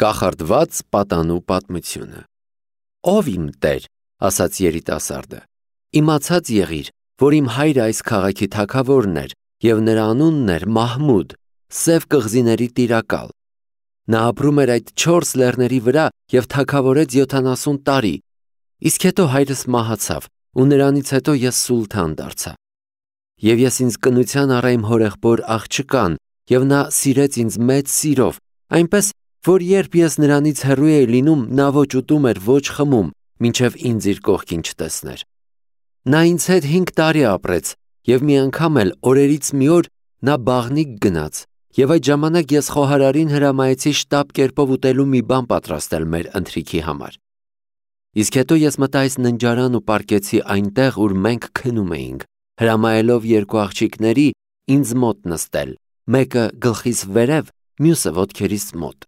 Կախարդված պատանու պատմությունը։ Ով իմ Տեր, ասաց երիտասարդը, իմացած եղիր, որ իմ հայրը այս քաղաքի թագավորն էր, և նրա անունն էր Մահմուդ, սև կղզիների տիրակալ։ Նա ապրում էր այդ 4 լեռների վրա և թագավորեց 70 տարի, իսկ հետո հայրս մահացավ, ու նրանից հետո ես սուլթան դարձա։ Եվ ես ինձ կնության առա իմ հորեղբոր աղջկան, և նա սիրեց ինձ մեծ սիրով, այնպես, որ երբ ես նրանից հեռու էի լինում, նա ոչ ուտում էր, ոչ խմում, մինչև ինձ իր կողքին չտեսներ։ Նա ինձ հետ 5 տարի ապրեց, և մի անգամ էլ օրերից մի օր նա բաղնիք գնաց, և այդ ժամանակ ես խոհարարին հրամայեցի շտապ կերպով ուտելու մի բան պատրաստել մեր ընթրիքի համար։ Իսկ հետո ես մտա այս ննջարան ու պառկեցի այնտեղ, ուր մենք քնում էինք, հրամայելով 2 աղջիկների ինձ մոտ նստել, մեկը գլխիս վերև, մյուսը ոտքերիս մոտ։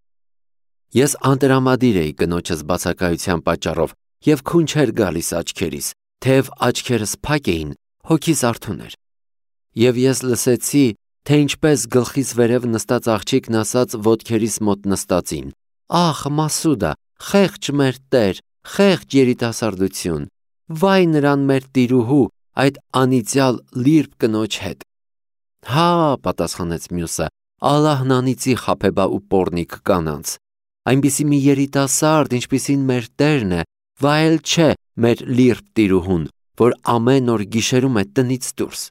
Ես անտրամադիր էի կնոջս բացակայության պատճառով, և քուն չէր գալիս աչքերիս, թեև աչքերս փակ էին, հոգիս արթուն էր։ Եվ ես լսեցի, թե ինչպես գլխիս վերև նստած աղջիկն ասաց ոտքերիս մոտ նստածին. «Ախ, Մասուդա, խեղճ մեր Տեր, խեղճ երիտասարդություն, վայ նրան մեր տիրուհու, այդ անիծյալ լիրբ կնոջ հետ»։ «Հա», պատասխանեց մյուսը, «Ալլահն անիծի խաբեբա ու պոռնիկ կանանց։ Այնպիսի մի երիտասարդ, ինչպիսին մեր Տերն է, վայել չէ մեր լիրբ տիրուհուն, որ ամեն օր գիշերում է տնից դուրս»։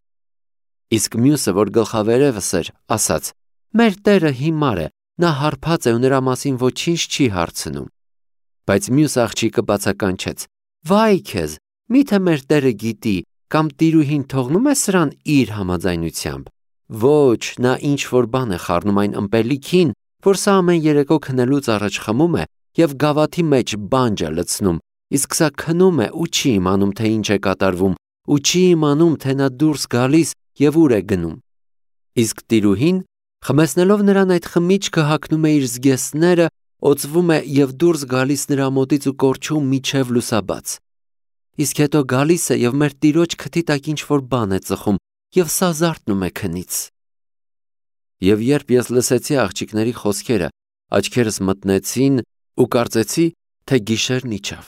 Իսկ մյուսը, որ գլխավերևս էր, ասաց. «Մեր Տերը հիմար է, նա հարբած է ու նրա մասին ոչինչ չի հարցնում»։ Բայց մյուս աղջիկը բացականչեց. «Վայ քեզ, միթե մեր Տերը գիտի, կամ տիրուհին թողնում է սրան իր համաձայնությամբ։ Ոչ, նա ինչ-որ բան է խառնում այն ըմպելիքին, որ սա ամեն երեկո քնելուց առաջ խմում է և գավաթի մեջ բանջ է լցնում, իսկ սա քնում է ու չի իմանում, թե ինչ է կատարվում, ու չի իմանում, թե նա դուրս գալիս և ուր է գնում։ Իսկ տիրուհին, խմեցնելով նրան այդ խմիչքը, հագնում է իր զգեստները, օծվում է և դուրս գալիս նրա մոտից ու կորչում մինչև լուսաբաց։ Իսկ հետո գալիս է և մեր տիրոջ քթի տակ ինչ-որ բան է ծխում և սա զարթնում է քնից»։ Եվ երբ ես լսեցի աղջիկների խոսքերը, աչքերս մտնեցին ու կարծեցի, թե գիշերն իջավ։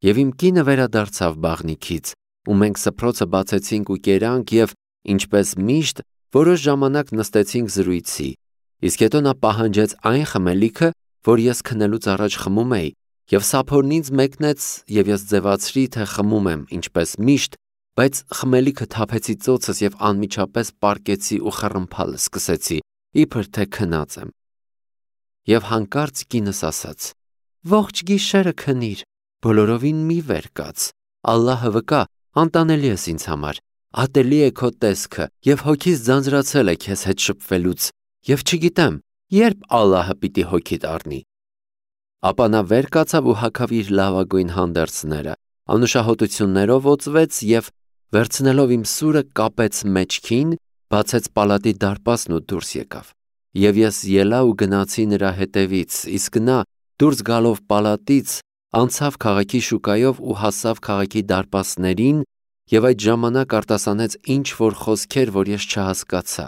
Եվ իմ կինը վերադարձավ բաղնիքից, ու մենք սփռոցը բացեցինք ու կերանք և, ինչպես միշտ, որոշ ժամանակ նստեցինք զրույցի, իսկ հետո նա պահանջեց այն խմելիքը, որ ես քնելուց առաջ խմում էի, և սափորն ինձ մեկնեց, և ես ձևացրի, թե խմում եմ, ինչպես միշտ, բայց խմելիքը թափեցի ծոցս և անմիջապես պառկեցի ու խռմփալ սկսեցի, իբր թե քնած եմ։ Եվ հանկարծ կինս ասաց. «Ողջ գիշերը քնիր, բոլորովին մի վեր կաց, Ալլահը վկա, անտանելի ես ինձ համար, ատելի է քո տեսքը, և հոգիս ձանձրացել է քեզ հետ շփվելուց, և չգիտեմ, երբ Ալլահը պիտի հոգիդ առնի»։ Ապա նա վեր կացավ ու հագավ իր լավագույն հանդերձները, անուշահոտություններով օծվեց և, վերցնելով իմ սուրը, կապեց մեջքին, բացեց պալատի դարպասն ու դուրս եկավ։ Եվ ես ելա ու գնացի նրա հետևից, իսկ նա, դուրս գալով պալատից, անցավ քաղաքի շուկայով ու հասավ քաղաքի դարպասներին, և այդ ժամանակ արտասանեց ինչ-որ խոսքեր, որ ես չհասկացա,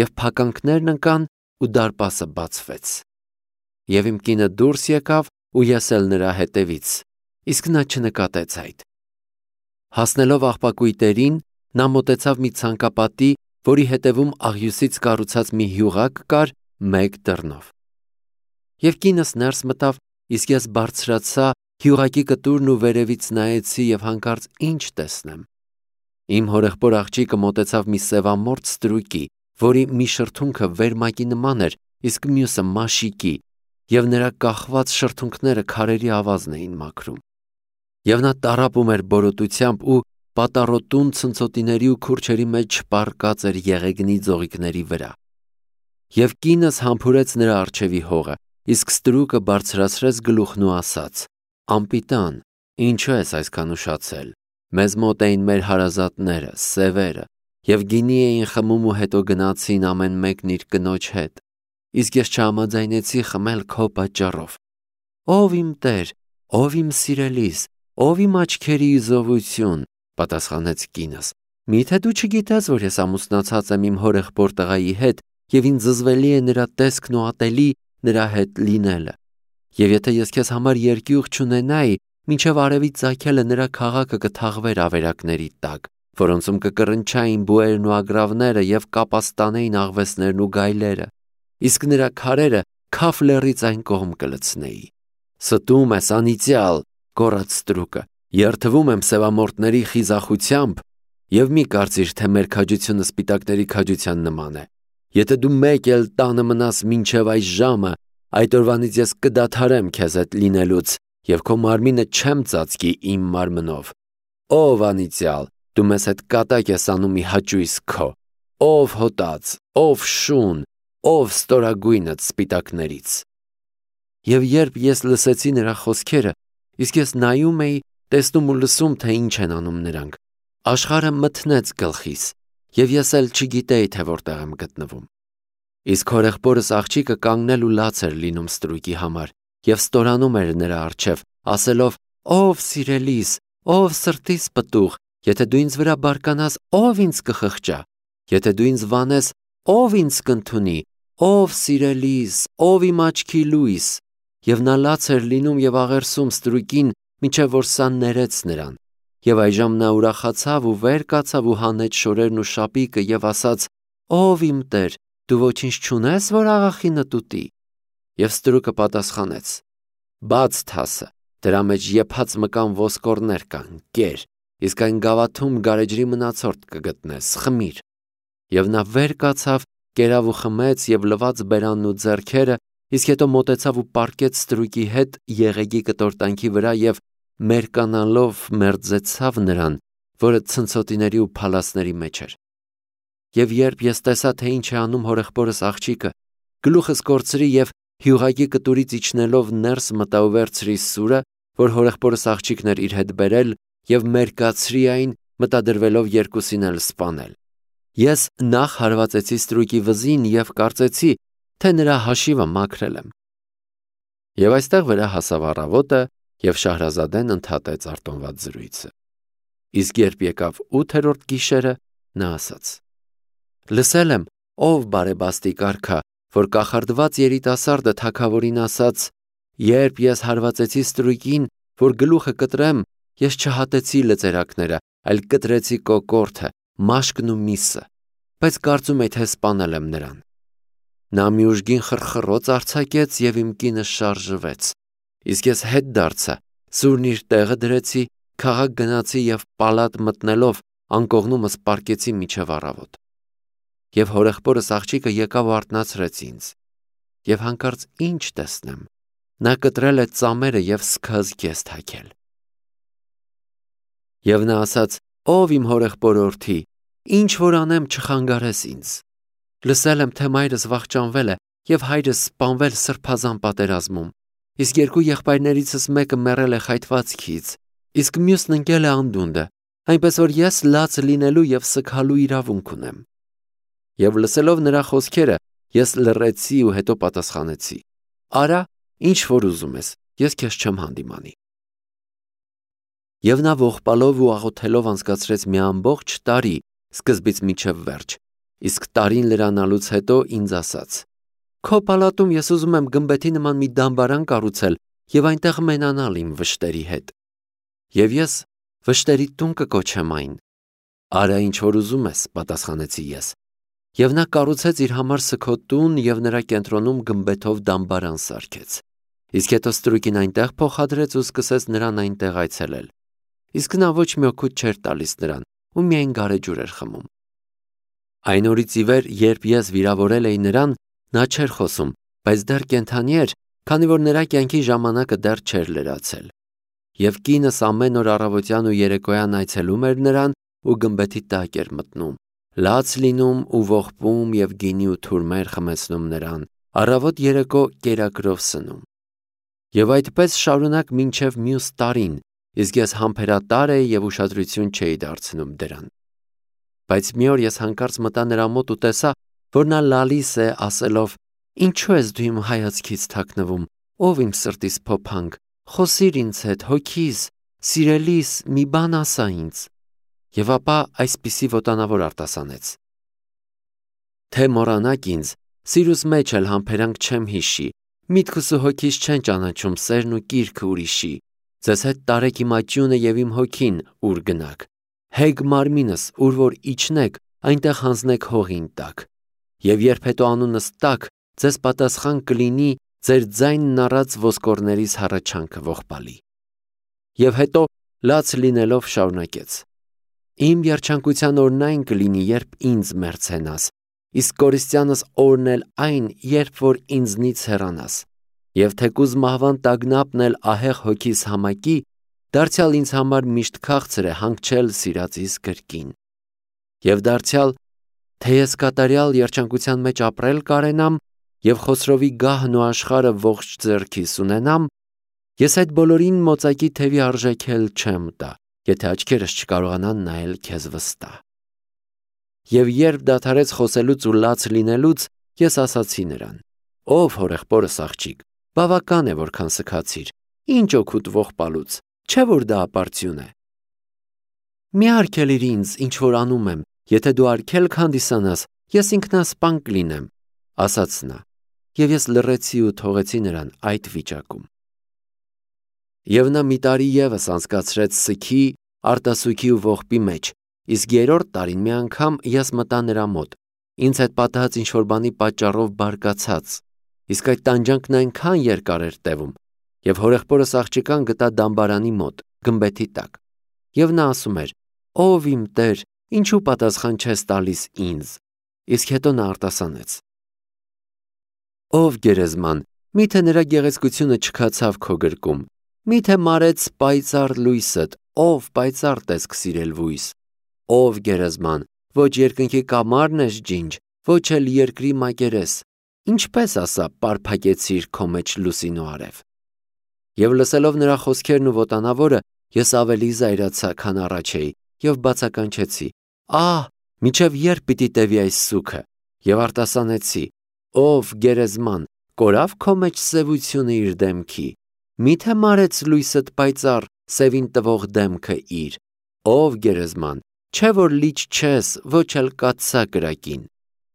և փականքներն ընկան ու դարպասը բացվեց։ Եվ իմ կինը դուրս եկավ ու ես էլ նրա հետևից, իսկ նա չնկատեց այդ։ Հասնելով աղբակույտերին, նա մոտեցավ մի ցանկապատի, որի հետևում աղյուսից կառուցած մի հյուղակ կար մեկ դռնով։ Եվ կինս ներս մտավ, իսկ ես բարձրացա հյուղակի կտուրն ու վերևից նայեցի և հանկարծ ինչ տեսնեմ։ Իմ հորեղբոր աղջիկը մոտեցավ մի սևամորթ ստրուկի, որի մի շրթունքը վերմակի նման էր, իսկ մյուսը մաշիկի, և նրա կախված շրթունքները քարերի ավազն էին մաքրում։ Եվ նա տառապում էր բորոտությամբ ու պատառոտուն ցնցոտիների ու քուրչերի մեջ չպառկած էր եղեգնի ձողիկների վրա։ Եվ կինս համբուրեց նրա առջևի հողը, իսկ ստրուկը բարձրացրեց գլուխն ու ասաց. «Անպիտան, ինչու ես այսքան ուշացել։ Մեզ մոտ էին մեր հարազատները, սևերը, և գինի էին խմում ու հետո գնացին ամեն մեկն իր կնոջ հետ, իսկ ես չհամաձայնեցի խմել քո պատճառով։ Ով իմ Տեր, ով իմ սիրելիս, ով իմ աչքերի իզովություն», պատասխանեց կինս։ «Միթե դու չգիտես, որ ես ամուսնացած եմ իմ հորեղբոր տղայի հետ, և ինձ զզվելի է նրա տեսքն ու ատելի, նրա հետ լինելը։ Եվ եթե ես քեզ համար երկյուղ չունենայի, մինչև արևի ծագելը նրա քաղաքը կթաղվեր ավերակների տակ, որոնցում կկռնչային բուերն ու ագռավները եւ կապաստանեին աղվեսներն ու գայլերը, իսկ նրա քարերը քաֆ լեռից այն կողմ կլցնեի։ Ստում ես անիծյալ, գոռաց ստրուկը, երթվում եմ սևամորտների խիզախությամբ, եւ մի կարծիր, թե մեր քաջությունը սպիտակների քաջության նման է։ Եթե դու մեկ էլ տանը մնաս մինչև այս ժամը, այդ օրվանից ես կդադարեմ քեզ հետ լինելուց եւ քո մարմինը չեմ ծածկի իմ մարմնով։ Ով անիծյալ, դու մեզ հետ կատակ ես անում մի հաճույս քո, ով հոտած, ով շուն, ով ստորագույնդ սպիտակներից։ Եվ երբ ես լսեցի նրա խոսքերը, իսկ ես նայում էի, տեսնում ու լսում, թե ինչ են անում նրանք, աշխարհը մթնեց գլխիս, եւ ես էլ չգիտեի, թե որտեղ եմ գտնվում։ Իսկ հորեղբորս աղջիկը կանգնել ու լաց էր լինում ստրուկի համար եւ ստորանում էր նրա առջև, ասելով. «Ով սիրելիս, ով սրտիս պտուղ, եթե դու ինձ վրա բարկանաս, ով ինձ կխղճա, եթե դու ինձ վանես, ով ինձ կընդունի, ով սիրելիս, ով իմ աչքի լույս»։ Եվ նա լաց էր լինում եւ աղերսում ստրուկին, մինչև որ սա ներեց նրան։ Եվ այժմ նա ուրախացավ ու վեր կացավ ու հանեց շորերն ու շապիկը եւ ասաց. «Ով իմ Տեր, դու ոչինչ չունես, որ աղախինդ ուտի»։ Եվ ստրուկը պատասխանեց. «Բաց թասը, դրա մեջ եփած մկան ոսկորներ կան, կեր, իսկ այն գավաթում գարեջրի մնացորդ կգտնես, խմիր»։ Եվ նա վեր կացավ, կերավ ու խմեց եւ լվաց բերանն ու ձեռքերը, իսկ հետո մոտեցավ ու պառկեց ստրուկի հետ եղեգի կտորտանքի վրա եւ մերկանալով մերձեցավ նրան, որը ցնցոտիների ու փալասների մեջ էր։ Եվ երբ ես տեսա, թե ինչ է անում հորեղբորս աղջիկը, գլուխս կորցրի եւ հյուղակի կտուրից իջնելով ներս մտա ու վերցրի սուրը, որ հորեղբորս աղջիկն էր իր հետ բերել, եւ մերկացրի այն, մտադրվելով երկուսին էլ սպանել։ Ես նախ հարվածեցի ստրուկի վզին եւ կարծեցի, թե նրա հաշիվը մաքրել եմ։ Եվ այստեղ վրա հասավ առավոտը, եւ Շահրազադեն ընդհատեց արտոնված զրույցը։ Իսկ երբ եկավ 8-րդ գիշերը, նա ասաց. «Լսել եմ, ով բարեբաստիկ արքա, որ կախարդված երիտասարդը թագավորին ասաց. երբ ես հարվածեցի ստրուկին, որ գլուխը կտրեմ, ես չհատեցի լծերակները, այլ կտրեցի կոկորդը, մաշկն ու միսը, բայց կարծում եի, թե սպանել եմ նրան։ Նա մի ուժգին խրխռոց արձակեց եւ իմ կինը շարժվեց, իսկ ես հետ դարձա, սուրն իր տեղը դրեցի, քաղաք գնացի եւ պալատ մտնելով անկողնումս պառկեցի միջև առավոտ։ Եվ հորեղբորս աղջիկը եկավ ու արթնացրեց ինձ։ Եվ հանկարծ ինչ տեսնեմ, նա կտրել է ծամերը եւ սկզգեստ թակել։ Եվ նա ասաց. «Ով իմ հորեղբորորդի, ինչ որ անեմ չխանգարես ինձ։ Լսել եմ, թե մայրս վախճանվել է եւ հայրս սպանվել սրբազան պատերազմում, իսկ երկու եղբայրներիցս մեկը մեռել է խայթվածքից, իսկ մյուսն ընկել է անդունդը, այնպես որ ես լաց լինելու եւ սգալու իրավունք ունեմ»։ Եվ լսելով նրա խոսքերը, ես լռեցի ու հետո պատասխանեցի. «Արա, ինչ որ ուզում ես, ես քեզ չեմ հանդիմանի»։ Եվ նա ողբալով ու աղոթելով անցկացրեց մի ամբողջ տարի, սկզբից մինչև վերջ, իսկ տարին լրանալուց հետո ինձ ասաց. «Քո պալատում ես ուզում եմ գմբեթի նման մի դամբարան կառուցել եւ այնտեղ մենանալ իմ վշտերի հետ։ Եվ ես վշտերի տուն կկոչեմ այն»։ «Արա, ինչ որ ուզում ես», պատասխանեցի ես։ Եվ նա կառուցեց իր համար սգոտուն եւ նրա կենտրոնում գմբեթով դամբարան սարքեց։ Իսկ հետո ստրուկին այնտեղ փոխադրեց ու սկսեց նրան այնտեղ այցելել։ Իսկ նա ոչ մի օգուտ չէր տալիս նրան ու միայն գարեջուր էր խմում։ Այն օրից ի վեր, երբ ես վիրավորել էի նրան, նա չէր խոսում, բայց դեռ կենդանի էր, քանի որ նրա կյանքի ժամանակը դեռ չէր լրացել։ Եվ կինս ամեն օր առավոտյան ու երեկոյան այցելում էր նրան ու գմբեթի տակ էր մտնում, լաց լինում ու ողբում եւ գինի ու թուրմեր խմեցնում նրան, առավոտ երեկո կերակրով սնում։ Եվ այդպես շարունակ մինչև մյուս տարին, իսկ ես համբերատար էի եւ ուշադրություն չէի դարձնում դրան։ Բայց մի օր ես հանկարծ մտա նրա մոտ ու տեսա, որ նա լալիս է, ասելով. «Ինչու ես դու իմ հայացքից թաքնվում, ով իմ սրտիս փոփանք, խոսիր ինձ հետ, հոգիս, սիրելիս, մի բան ասա ինձ»։ Եվ ապա այսպիսի ոտանավոր արտասանեց. «Թե մոռանաք ինձ, սիրուս մեջ էլ համբերանք չեմ հիշի, Միտքս ու հոգիս չեն ճանաչում սերն ու կիրքը ուրիշի, ձեզ հետ տարեք իմ աճյունը և իմ հոգին, ուր գնաք, հեգ մարմինս, ուր որ իջնեք, այնտեղ հանձնեք հողին տակ, և երբ հետո անունս տաք, ձեզ պատասխան կլինի ձեր ձայնն առած ոսկորներիս հառաչանքը ողբալի։ Եվ հետո լաց լինելով շարունակեց. Իմ երջանկության օրն այն կլինի, երբ ինձ մերձենաս, իսկ կորիստյանս օրն էլ այն, երբ որ ինձնից հեռանաս, և թեկուզ մահվան տագնապն էլ ահեղ հոգիս համակի, դարձյալ ինձ համար միշտ քաղցր է հանգչել սիրածիս կրկին։ Եվ դարձյալ, թե ես կատարյալ երջանկության մեջ ապրել կարենամ և Խոսրովի գահն ու աշխարհը ողջ ձեռքիս ունենամ, ես այդ բոլորին մոծակի թևի արժեքել չեմ տա, եթե աչքերս չկարողանան նայել քեզ վստահ։ Եվ երբ դադարեց խոսելուց ու լաց լինելուց, ես ասացի նրան. Ով հորեղբորս աղջիկ, բավական է, որքան սգացիր, ինչ օգուտ ողբալուց, չէ որ դա ապարդյուն է։ Մի արգելիր ինձ, ինչ որ անում եմ, եթե դու արգելք հանդիսանաս, ես ինքնասպան կլինեմ, ասաց նա, և ես լռեցի ու թողեցի նրան այդ վիճակում։ Եվ նա մի տարի ևս անցկացրեց սգի, արտասուքի ու ողբի մեջ, իսկ երրորդ տարին մի անգամ ես մտա նրա մոտ, ինձ հետ պատահած ինչ-որ բանի պատճառով բարկացած, իսկ այդ տանջանքն այնքան երկար էր տևում, և հորեղբորս աղջկան գտա դամբարանի մոտ, գմբեթի տակ, և նա ասում էր. «Ով իմ Տեր, ինչու պատասխան չես տալիս ինձ», իսկ հետո նա արտասանեց. «Ով գերեզման, միթե նրա գեղեցկությունը չքացավ քո գրկում, միթե մարեց պայծառ լույսդ, ով պայծառ տեսք սիրել վույս, ով գերեզման, ոչ երկնքի կամարն ես ջինջ, ոչ էլ երկրի մակերես, ինչպես ասա պարփակեցիր քո մեջ լուսին ու արև»։ Եվ լսելով նրա խոսքերն ու ոտանավորը, ես ավելի զայրացա, քան առաջ էի, և բացականչեցի. «Ահ, մինչև երբ պիտի տևի այս սուգը», և արտասանեցի. «Ով գերեզման, կորավ քո մեջ սևությունը իր դեմքի, միթե մարեց լույսդ պայծառ, սևին տվող դեմքը իր, ով գերեզման, չէ որ լիճ չես, ոչ էլ կաթսա կրակին,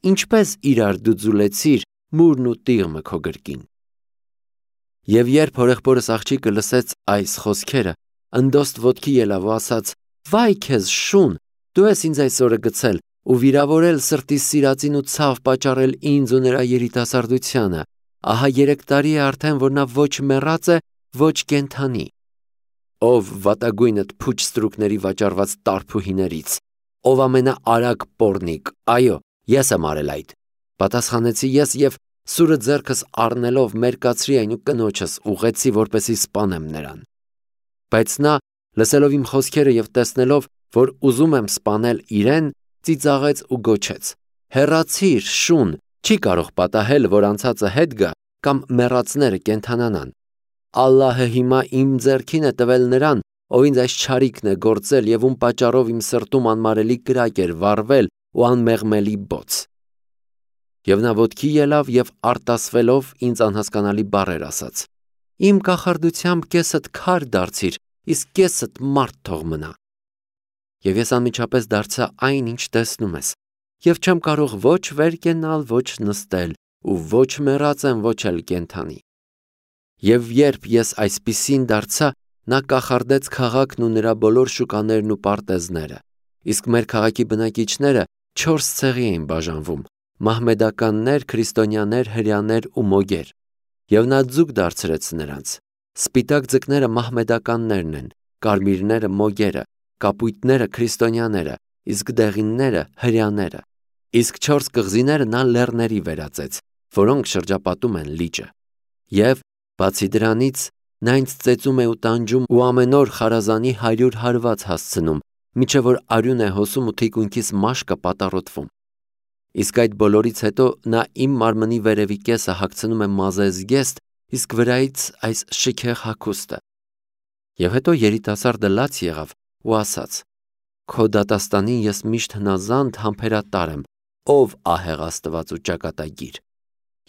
ինչպես իրար դու ձուլեցիր մուրն ու տիղմը քո գրկին»։ Եվ երբ հորեղբորս աղջիկը լսեց այս խոսքերը, ընդոստ ոտքի ելավ ու ասաց. «Վայ քեզ շուն, դու ես ինձ այսօրը գցել ու վիրավորել սրտիս սիրածին ու ցավ պատճառել ինձ ու նրա երիտասարդությանը, ահա 3 տարի է արդեն, որ նա ոչ մեռած է, ոչ կենդանի։ Ով վատագույնդ փուչ ստրուկների վաճառված տարփուհիներից, ով ամենաարագ պոռնիկ, այո, ես եմ արել այդ», պատասխանեցի ես և սուրը ձեռքս առնելով մերկացրի այն ու կնոջս ուղղեցի, որպեսզի սպանեմ նրան։ Բայց նա, լսելով իմ խոսքերը և տեսնելով, որ ուզում եմ սպանել իրեն, ծիծաղեց ու գոչեց. «Հեռացիր, շուն, չի կարող պատահել, որ անցածը հետ գա կամ մեռածները կենդանանան։ Ալլահը հիմա իմ ձեռքին է տվել նրան, ով ինձ այս չարիքն է գործել և ում պատճառով իմ սրտում անմարելի կրակ էր վառվել ու անմեղմելի բոց»։ Եվ նա ոտքի ելավ և արտասվելով ինձ անհասկանալի բառեր ասաց. «Իմ կախարդությամբ կեսդ քար դարձիր, իսկ կեսդ մարդ թող մնա»։ Եվ ես անմիջապես դարձա այն, ինչ տեսնում ես, և չեմ կարող ոչ վեր կենալ, ոչ նստել, ու ոչ մեռած եմ, ոչ էլ կենդանի։ Եվ երբ ես այսպիսին դարձա, նա կախարդեց քաղաքն ու նրա բոլոր շուկաներն ու պարտեզները, իսկ մեր քաղաքի բնակիչները 4 ցեղի էին բաժանվում. մահմեդականներ, քրիստոնյաներ, հրեաներ ու մոգեր, և նա ձուկ դարձրեց նրանց։ Սպիտակ ձկները մահմեդականներն են, կարմիրները մոգերը, կապույտները քրիստոնյաները, իսկ դեղինները հրեաները, իսկ 4 կղզիները նա լեռների վերածեց, որոնք շրջապատում են լիճը։ Եվ բացի դրանից, նա ինձ ծեծում է ու տանջում ու ամեն օր խարազանի 100 հարված հասցնում, մինչև որ արյուն է հոսում ու թիկունքիս մաշկը պատառոտվում։ Իսկ այդ բոլորից հետո նա իմ մարմնի վերևի կեսը հագցնում է մազե զգեստ, իսկ վրայից այս շքեղ հագուստը։ Եվ հետո երիտասարդը լաց եղավ ու ասաց. «Քո դատաստանին ես միշտ հնազանդ համբերատար եմ, ով ահեղ Աստված ու ճակատագիր։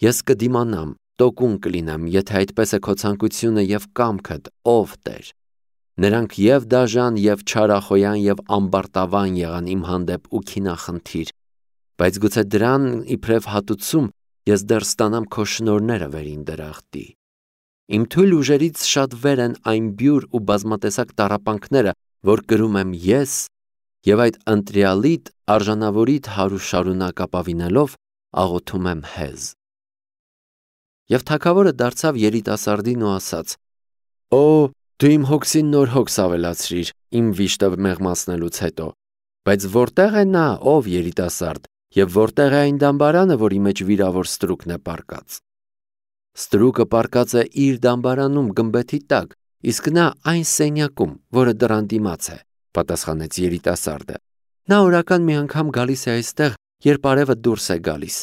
Ես կդիմանամ, տոկուն կլինեմ, եթե այդպես է քո ցանկությունը և կամքդ, ով Տեր»։ Նրանք և դաժան, և չարախոյան, և ամբարտավան եղան իմ հանդեպ ու քինախնդիր, բայց գուցե դրան իբրև հատուցում ես դեռ ստանամ քո շնորհները վերին դրախտի։ Իմ թույլ ուժերից շատ վեր են այն բյուր ու բազմատեսակ տառապանքները, որ կրում եմ ես, եւ այդ ընտրյալիդ արժանավորիդ հարու շարունակ ապավինելով աղոթում եմ հեզ։ Եվ թագավորը դարձավ երիտասարդին ու ասաց. Օ, դու իմ հոգսին նոր հոգս ավելացրիր իմ վիշտը մեղմացնելուց հետո, բայց որտեղ է նա, ով երիտասարդ, եւ որտեղ է այն դամբարանը, որի մեջ վիրավոր ստրուկն է պառկած։ Ստրուկը պառկած է իր դամբարանում գմբեթի տակ, իսկ նա այն սենյակում, որը դռան դիմաց է, պատասխանեց երիտասարդը։ Նա օրական մի անգամ գալիս է այստեղ, երբ արևը դուրս է գալիս,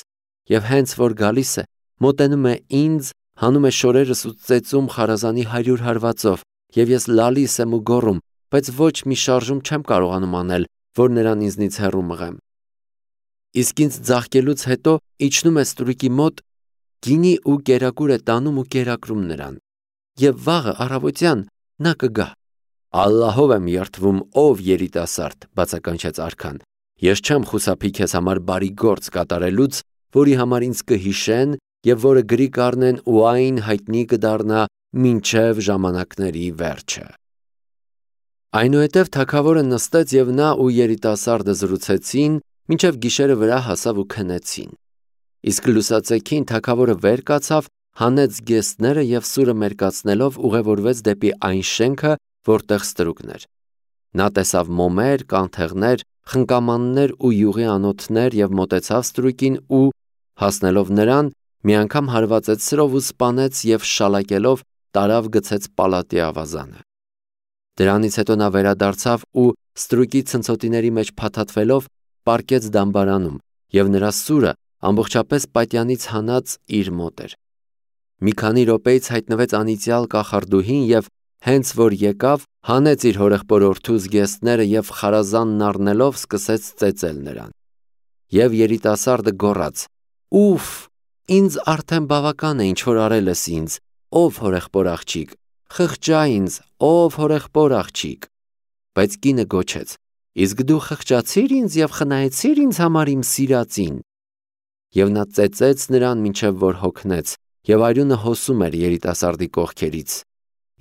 եւ հենց որ գալիս է, մոտենում է ինձ, հանում է շորերս ու ծեծում խարազանի 100 հարվածով, եւ ես լալիս եմ ու գոռում, բայց ոչ մի շարժում չեմ կարողանում անել, որ նրան ինձնից հեռու մղեմ։ Իսկ ինձ ձաղկելուց հետո իջնում է ստրուկի մոտ, գինի ու կերակուր է տանում ու կերակրում նրան, եւ վաղը առավոտյան նա կգա։ Ալլահով եմ երդվում, ով երիտասարդ, բացականչեց արքան, ես չեմ խուսափի քեզ համար բարի գործ կատարելուց, որի համար ինձ կհիշեն եւ որը գրի կառնեն ու այն հայտնի կդառնա մինչև ժամանակների վերջը։ Այնուհետև թագավորը նստեց եւ նա ու երիտասարդը զրուցեցին, մինչև գիշերը վրա հասավ ու քնեցին։ Իսկ լուսացեքին թագավորը վեր կացավ, հանեց գեստները եւ սուրը մերկացնելով ուղևորվեց դեպի այն շենքը, որտեղ ստրուկն էր։ Նա տեսավ մոմեր, կանթեղներ, խնկամաններ ու յուղի անոթներ եւ մոտեցավ ստրուկին ու, հասնելով նրան, մի անգամ հարվածեց սրով ու սպանեց եւ շալակելով տարավ գցեց պալատի ավազանը։ Դրանից հետո նա վերադարձավ ու ստրուկի ցնցոտիների մեջ փաթաթվելով պառկեց դամբարանում եւ նրա սուրը ամբողջապես պատյանից հանած իր մոտ էր։ Մի քանի րոպեից հայտնվեց անիծյալ կախարդուհին եւ հենց որ եկավ, հանեց իր հորեղբորորդու զգեստները եւ խարազանն առնելով սկսեց ծեծել նրան։ Եվ երիտասարդը գոռաց. «Ուֆ, ինձ արդեն բավական է ինչ որ արել ես ինձ, ով հորեղբոր աղջիկ, խղճա ինձ, ով հորեղբոր աղջիկ»։ Բայց կինը գոչեց. «Իսկ դու խղճացիր ինձ եւ խնայեցիր ինձ համար իմ սիրածին»։ Եվ նա ծեծեց նրան մինչև որ հոգնեց, եւ արյունը հոսում էր երիտասարդի կողքերից։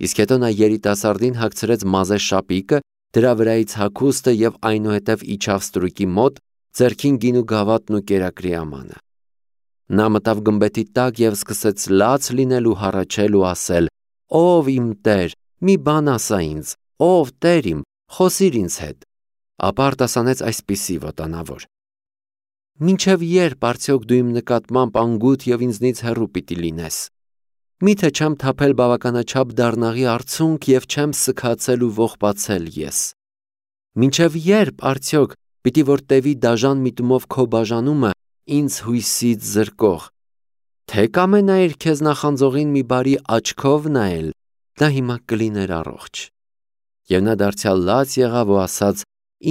Իսկ հետո նա երիտասարդին հագցրեց մազե շապիկը, դրա վրայից հագուստը եւ այնուհետև իջավ ստրուկի մոտ, ձեռքին գինու գավաթն ու կերակրի ամանը։ Նա մտավ գմբեթի տակ եւ սկսեց լաց լինել ու հառաչել ու ասել. «Ով իմ Տեր, մի բան ասա ինձ, ով Տեր իմ, խոսիր ինձ հետ»։ Ապա արտասանեց այսպիսի վոտանավոր. «Մինչև երբ արդյոք դու իմ նկատմամբ անգութ եւ ինձնից հեռու պիտի լինես։ Միթե չեմ թափել բավականաչափ դառնաղի արցունք եւ չեմ սքացել ու ողբացել ես։ Մինչև երբ արդյոք պիտի որ տևի դաժան միտումով քո բաժանումը ինձ հույսից զրկող։ Թե կամենայիր քեզ նախանձողին մի բարի աչքով նայել, դա հիմա կլիներ առողջ»։ Եվ նա դարձյալ լաց եղավ ու ասաց.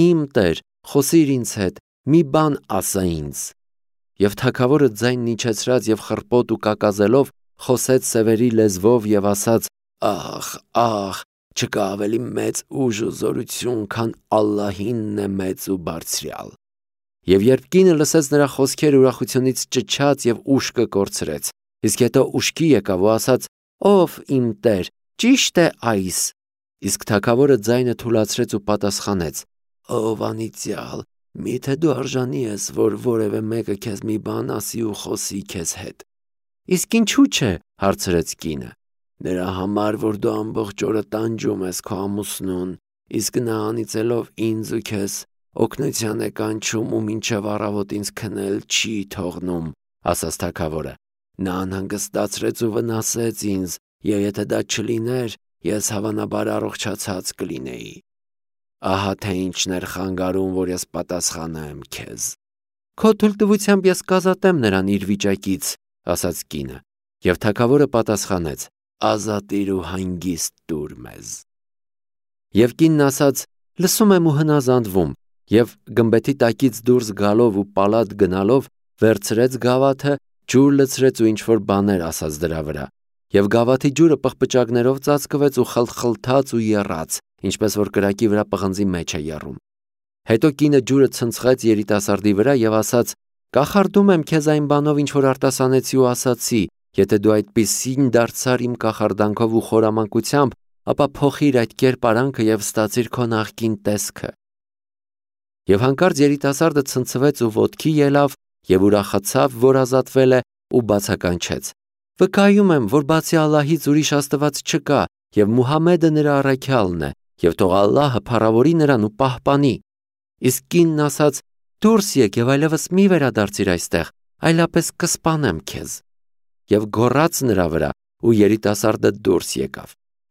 «Իմ Տեր, խոսիր ինձ հետ, մի բան ասա ինձ»։ Եվ թագավորը ձայնն իջեցրած եւ խռպոտ ու կակազելով խոսեց սևերի լեզվով եւ ասաց. «Ախ, ախ, չկա ավելի մեծ ուժ ու զորություն, քան Ալլահինն է մեծ ու բարձրյալ»։ Եվ երբ կինը լսեց նրա խոսքերը, ուրախությունից ճչաց եւ ուշքը կորցրեց։ Իսկ հետո ուշքի եկավ ու ասաց. «Ով իմ Տեր, ճիշտ է այս»։ Իսկ թագավորը ձայնը թուլացրեց ու պատասխանեց. «Ով անիծյալ, միթե դու արժանի ես, որ որևէ մեկը քեզ մի բան ասի ու խոսի քեզ հետ»։ «Իսկ ինչու՞ չէ», հարցրեց կինը։ «Նրա համար, որ դու ամբողջ օրը տանջում ես քո ամուսնուն, իսկ նա անիծելով ինձ ու քեզ օգնության է կանչում ու մինչև առավոտ ինձ քնել չի թողնում», ասաց թագավորը։ «Նա անհանգստացրեց ու վնասեց ինձ, եւ եթե դա չլիներ, ես հավանաբար առողջացած կլինեի։ Ահա թե ինչն էր խանգարում, որ ես պատասխանեմ քեզ»։ «Քո թույլտվությամբ ես կազատեմ նրան իր վիճակից», ասաց կինը։ Եվ թագավորը պատասխանեց. «Ազատիր ու հանգիստ տուր մեզ»։ Եվ կինն ասաց. «Լսում եմ ու հնազանդվում», եւ գմբեթի տակից դուրս գալով ու պալատ գնալով վերցրեց գավաթը, ջուր լցրեց ու ինչ-որ բաներ ասաց դրա վրա։ Եվ գավաթի ջուրը պղպճակներով ծածկվեց ու խլխլթաց ու եռաց, ինչպես որ կրակի վրա պղնձի մեջ է եռում։ Հետո կինը ջուրը ցնցեց երիտասարդի վրա եւ ասաց. Կախարդում եմ քեզ այն բանով, ինչ որ արտասանեցի ու ասացի, եթե դու այդպիսին դարձար իմ կախարդանքով ու խորամանկությամբ, ապա փոխիր այդ կերպարանքը եւ ստացիր քո նախկին տեսքը։ Եվ հանկարծ երիտասարդը ցնցվեց ու ոտքի ելավ եւ ուրախացավ, որ ազատվել է ու բացականչեց. «Վկայում եմ, որ բացի Ալլահից ուրիշ աստված չկա եւ Մուհամմեդը նրա առաքյալն է, եւ թող Ալլահը փառավորի նրան ու պահպանի»։ Իսկ կինն ասաց. «Դուրս եկ եւ այլևս մի վերադարձիր այստեղ, այլապես կսպանեմ քեզ»։ Եվ գոռաց նրա վրա, ու երիտասարդը դուրս եկավ։